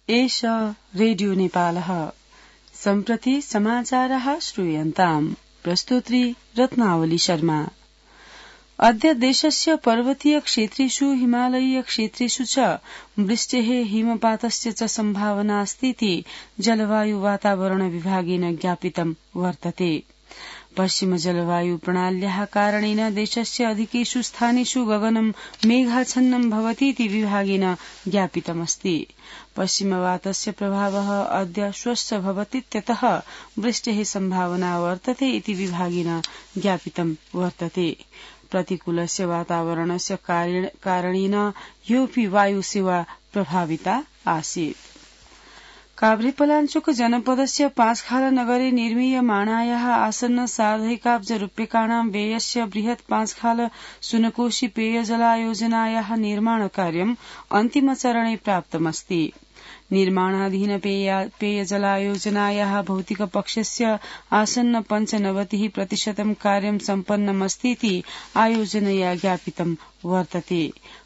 एष रेडियो नेपालः। सम्प्रति समाचारः श्रूयन्ताम्। प्रस्तुत्री रत्नावली शर्मा। अद्य देशस्य पर्वतीय क्षेत्रेषु हिमालयीय क्षेत्रेषु च वृष्टेः हिमपातस्य च सम्भावना अस्तीति जलवायु वातावरण विभागेन ज्ञापितं वर्तते। पश्चिम जलवायु प्रणाल्याः कारणेन देशस्य अधिकेषु स्थानेषु गगनं मेघाच्छन्नं भवतीति विभागेन ज्ञापितमस्ति। पश्चिमवातस्य प्रभावः अद्य श्वश्च भवतीत्यतः वृष्टेः सम्भावना वर्तते इति विभागेन ज्ञापितं वर्तते। प्रतिकूलस्य वातावरणस्य कारणेन ह्योऽपि वायुसेवा प्रभाविता आसीत्। काभ्रेपलाञ्चोक जनपदस्य पाँचखाल नगरे निर्मीयमाणायाः आसन्न सार्धैकाब्ज रूप्यकाणां व्ययस्य बृहत् पाँचखाल सुनकोशी पेयजलायोजनायाः निर्माणकार्यम् अन्तिमचरणे प्राप्तमस्ति। निर्माणाधीन पेयजलायोजनायाः भौतिकपक्षस्य आसन्न 95% कार्यं सम्पन्नमस्तीति आयोजनया ज्ञापितं वर्तते।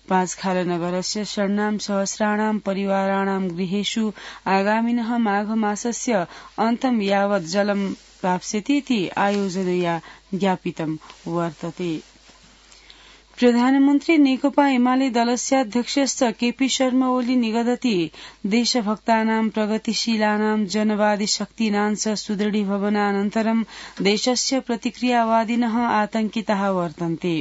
पाँचखालनगरस्य षण्णां सहस्राणां परिवाराणां गृहेषु आगामिनः माघमासस्य अन्तं यावत् जलं प्राप्स्यतीति आयोजनया ज्ञापितं वर्तते। प्रधानमन्त्री नेकपा एमाले दलस्याध्यक्षश्च केपी शर्मा ओली निगदति देशभक्तानां प्रगतिशीलानां जनवादी शक्तीनां च सुदृढीभवनानन्तरं देशस्य प्रतिक्रियावादिनः आतंकिताः वर्तन्ते।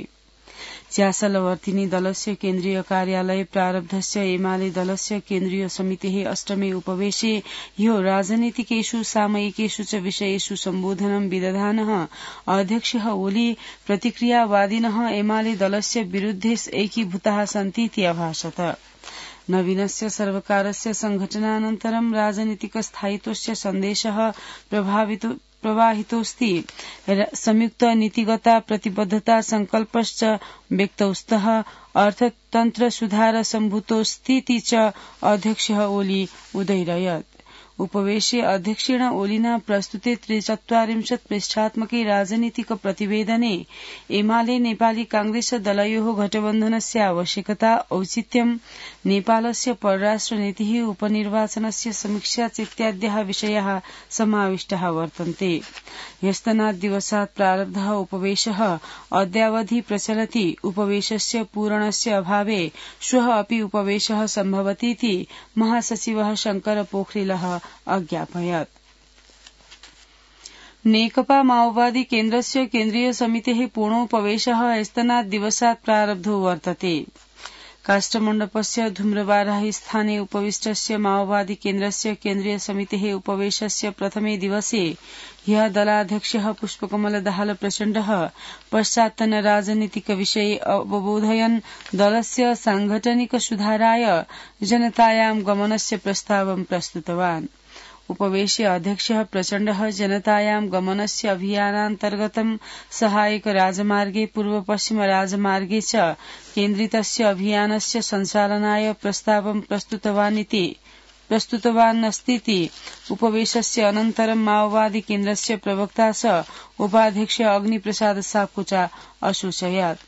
च्यासलवर्तिनी दलस्य केन्द्रीय कार्यालये प्रारब्धस्य एमाले दलस्य केन्द्रीय समितेः अष्टमे उपवेशे ह्यो राजनीतिकेषु सामयिकेषु च विषयेषु सम्बोधनं विदधानः अध्यक्षः ओली प्रतिक्रियावादिनः एमाले दलस्य विरुद्धे ऐक्यभूताः सन्तीति अभाषत। नवीनस्य सर्वकारस्य संघटनानन्तरं राजनीतिक स्थायित्वस्य सन्देशः प्रवाहितोऽस्ति। संयुक्त नीतिगता प्रतिबद्धता संकल्पश्च व्यक्तौस्तः अर्थतन्त्र सुधार सम्भूतोऽस्तीति च अध्यक्षः ओली उदयरयत्। उपवेशे अध्यक्षेण ओलिना प्रस्तुते 43 पृष्ठात्मके राजनीतिक प्रतिवेदने एमाले नेपाली कांग्रेस दलयोः गठबन्धनस्य आवश्यकता, औचित्यं, नेपालस्य परराष्ट्र नीतिः, उपनिर्वाचनस्य समीक्षा इत्याद्यः विषयाः समाविष्टाः वर्तन्ते। ह्यस्तनात् दिवसात् प्रारब्धः उपवेशः अद्यावधि प्रचलति। उपवेशस्य पूरणस्य अभावे श्वः अपि उपवेशः सम्भवतीति महासचिवः शंकर पोखरेलः अज्ञापयत्। नेकपा माओवादी केन्द्रस्य केन्द्रीय समितेः पूर्णोपवेशः ह्यस्तनात् दिवसात् प्रारब्धो वर्तते। काष्ठमण्डपस्य धूम्रबाराही स्थाने उपविष्टस्य माओवादी केन्द्रस्य केन्द्रीय समितेः उपवेशस्य प्रथमे दिवसे ह्यः दलाध्यक्षः पुष्पकमल दाहाल प्रचण्डः पश्चात्तन राजनीतिक विषये अवबोधयन् दलस्य सांगठनिक सुधाराय जनतायां गमनस्य प्रस्तावं प्रस्तुतवान्। उपवेशे अध्यक्षः प्रचण्डः जनतायां गमनस्य अभियानान्तर्गतं सहायक राजमार्गे पूर्व पश्चिम राजमार्गे च केन्द्रितस्य अभियानस्य सञ्चालनाय प्रस्तावं प्रस्तुतवानस्तीति उपवेशस्य अनन्तरं माओवादी केन्द्रस्य प्रवक्ता च उपाध्यक्ष अग्निप्रसाद सापकोटा असूचयत्।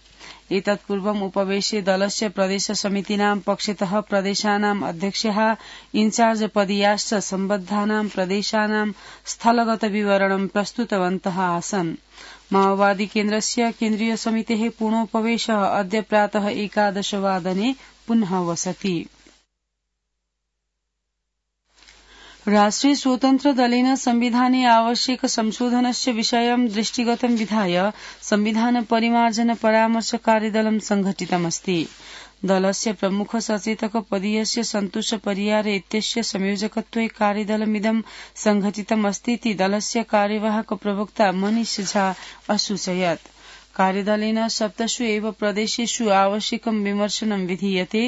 एतत्पूर्वम् उपवेशे दलस्य प्रदेश समितीनां पक्षतः प्रदेशानाम् अध्यक्षाः इन्चार्ज पदीयाश्च सम्बद्धानां प्रदेशानां स्थलगत विवरणं प्रस्तुतवन्तः आसन्। माओवादी केन्द्रस्य केन्द्रीय समितेः पूर्णोपवेशः अद्य प्रातः 11 वादने पुनः वसति। राष्ट्रिय स्वतन्त्र दलेन संविधाने आवश्यक संशोधनस्य विषयं दृष्टिगतं विधाय संविधान परिमार्जन परामर्श कार्यदलं संघटितमस्ति। दलस्य प्रमुख सचेतक पदीयस्य सन्तोष परियार इत्यस्य संयोजकत्वे कार्यदलमिदं संघटितमस्तीति दलस्य कार्यवाहक प्रवक्ता मनीष झा असूचयत्। कार्यदलेन 7 एव प्रदेशेषु आवश्यकं विमर्शनं विधीयते।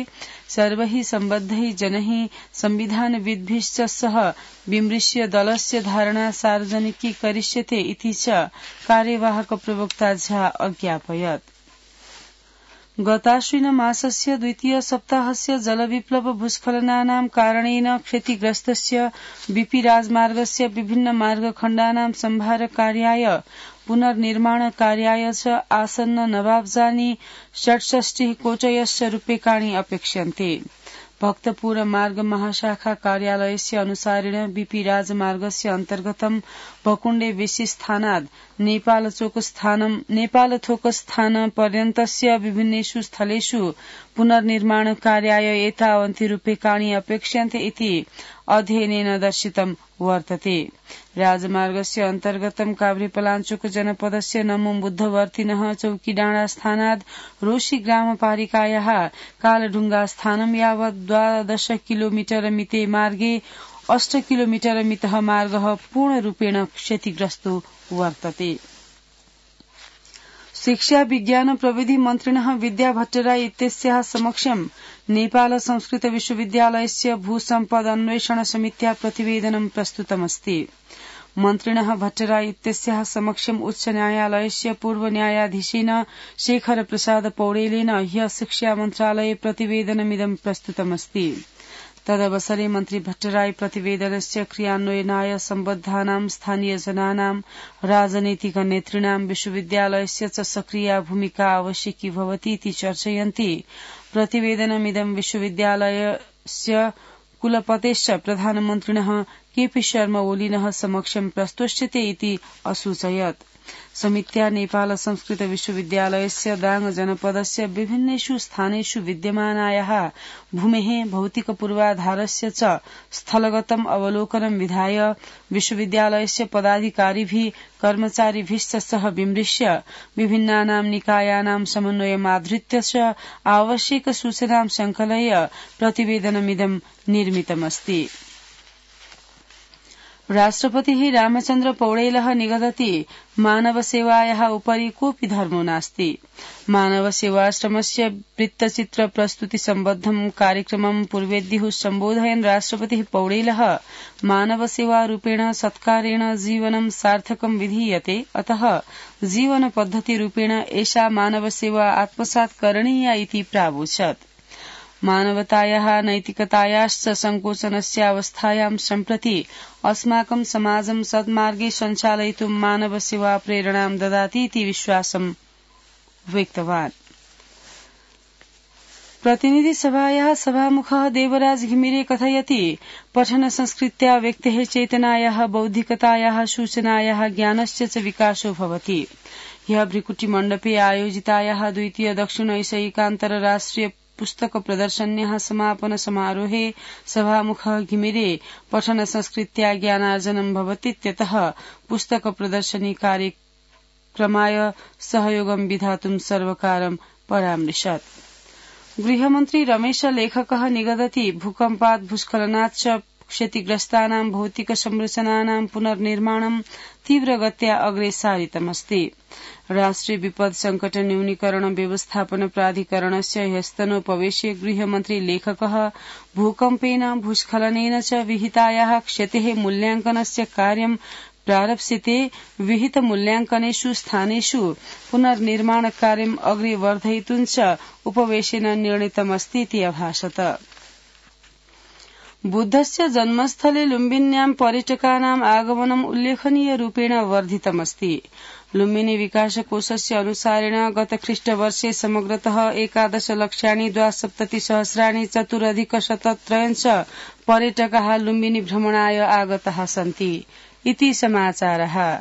सर्वैः सम्बद्धैः जनैः संविधानविद्भिश्च सह विमृश्य दलस्य धारणा सार्वजनिकीकरिष्यते इति च कार्यवाहक प्रवक्ता झा अज्ञापयत्। गताश्विन मासस्य द्वितीय सप्ताहस्य जलविप्लव भूस्खलनानां कारणेन क्षतिग्रस्तस्य बीपी राजमार्गस्य विभिन्न मार्गखण्डानां संभार कार्याय पुनर्निर्माण कार्याय च आसन्न नवाब्जानि 68 कोटयश्च रूप्यकाणि अपेक्ष्यन्ते। भक्तपुर मार्ग महाशाखा कार्यालयस्य अनुसारेण बीपी राजमार्गस्य अन्तर्गतं भकुण्डे विशिस्थानाद् नेपालथोकस्थान पर्यन्तस्य विभिन्नेषु स्थलेषु पुनर्निर्माण कार्याय एतावन्ति रूप्यकाणि अपेक्ष्यन्ते इति अध्ययनेन दर्शितं वर्तते। राजमार्गस्य अन्तर्गतं काभ्रेपलाञ्चोक जनपदस्य नमो बुद्धवर्तिनः चौकीडाँडा स्थानाद् रोशी ग्रामपालिकायाः कालढुङ्गा स्थानं यावत् 12 किलोमिटर मिते मार्गे 8 किलोमिटर मितः मार्गः पूर्णरूपेण क्षतिग्रस्तो वर्तते। शिक्षा विज्ञान प्रविधि मन्त्रिणः विद्या भट्टराई इत्यस्याः समक्षं नेपाल संस्कृत विश्वविद्यालयस्य भूसम्पद अन्वेषण समित्या प्रतिवेदनं प्रस्तुतमस्ति। मन्त्रिणः भट्टराई इत्यस्याः समक्षम् उच्च न्यायालयस्य पूर्व न्यायाधीशेन शेखर प्रसाद पौडेलेन ह्यः शिक्षा मन्त्रालये प्रतिवेदनमिदं प्रस्तुतमस्ति। तदवसरे मन्त्री भट्टराई प्रतिवेदनस्य क्रियान्वयनाय सम्बद्धानां स्थानीयजनानां राजनैतिक नेतॄणां विश्वविद्यालयस्य च सक्रिया भूमिका आवश्यकी भवति इति चर्चयन्ति। प्रतिवेदनमिदं विश्वविद्यालयस्य कुलपतेश्च प्रधानमन्त्रिणः केपी शर्मा ओलीनः समक्षं प्रस्तुष्यते इति असूचयत्। समित्या नेपाल संस्कृत विश्वविद्यालयस्य दाङ जनपदस्य विभिन्नेषु स्थानेषु विद्यमानायाः भूमेः भौतिक पूर्वाधारस्य च स्थलगतम् अवलोकनं विधाय विश्वविद्यालयस्य पदाधिकारिभिः कर्मचारिभिश्च सह विमृश्य विभिन्नानां निकायानां समन्वयमाधृत्य च आवश्यक सूचनां संकलय्य प्रतिवेदनमिदं निर्मितमस्ति। राष्ट्रपतिः रामचन्द्र पौडेलः निगदति मानवसेवायाः उपरि कोऽपि धर्मो नास्ति। मानवसेवाश्रमस्य वृत्तचित्र प्रस्तुति सम्बद्धं कार्यक्रमं पूर्वेद्युः सम्बोधयन् राष्ट्रपतिः पौडेलः मानवसेवारूपेण सत्कारेण जीवनं सार्थकं विधीयते, अतः जीवनपद्धतिरूपेण एषा मानवसेवा आत्मसात् करणीया इति प्रावोचत्। मानवतायाः नैतिकतायाश्च संकोचनस्यावस्थायां सम्प्रति अस्माकं समाजं सद्मार्गे सञ्चालयितुं मानवसेवा प्रेरणां ददाति इति विश्वासं व्यक्तवान्। प्रतिनिधिसभायाः सभामुखः देवराज घिमिरे कथयति पठन संस्कृत्या व्यक्तेः चेतनायाः बौद्धिकतायाः सूचनायाः ज्ञानस्य च विकासो भवति। ह्यः भृकुटिमण्डपे आयोजितायाः द्वितीय दक्षिण एशियान्तरराष्ट्रिय पुस्तक प्रदर्शन्याः समापन समारोहे सभामुखः घिमिरे पठन संस्कृत्या ज्ञानार्जनं भवतीत्यतः पुस्तक प्रदर्शनी कार्यक्रमाय सहयोगं विधातुं सर्वकारं परामृशत्। गृहमन्त्री रमेश लेखकः निगदति भूकम्पात् भूस्खलनात् च क्षतिग्रस्तानां भौतिक संरचनानां पुनर्निर्माणं तीव्रगत्या अग्रे सारितमस्ति। राष्ट्रिय विपद संकट न्यूनीकरण व्यवस्थापन प्राधिकरणस्य ह्यस्तनोपवेशे गृहमन्त्री लेखकः भूकम्पेन भूस्खलनेन च विहितायाः क्षतेः मूल्यांकनस्य कार्यं प्रारप्स्यते। विहित मूल्यांकनेषु स्थानेषु पुनर्निर्माण कार्यम् अग्रे वर्धयितुं च उपवेशेन निर्णीतमस्ति इति अभाषत। बुद्धस्य जन्मस्थले लुम्बिन्यां पर्यटकानाम् आगमनम् उल्लेखनीय रूपेण वर्धितमस्ति। लुम्बिनी विकासकोषस्य अनुसारेण गत ख्रीष्टवर्षे समग्रतः 11,72,सहस्राणि चतुरधिकशतत्रयञ्च पर्यटकाः लुम्बिनी भ्रमणाय आगताः सन्ति इति समाचारः।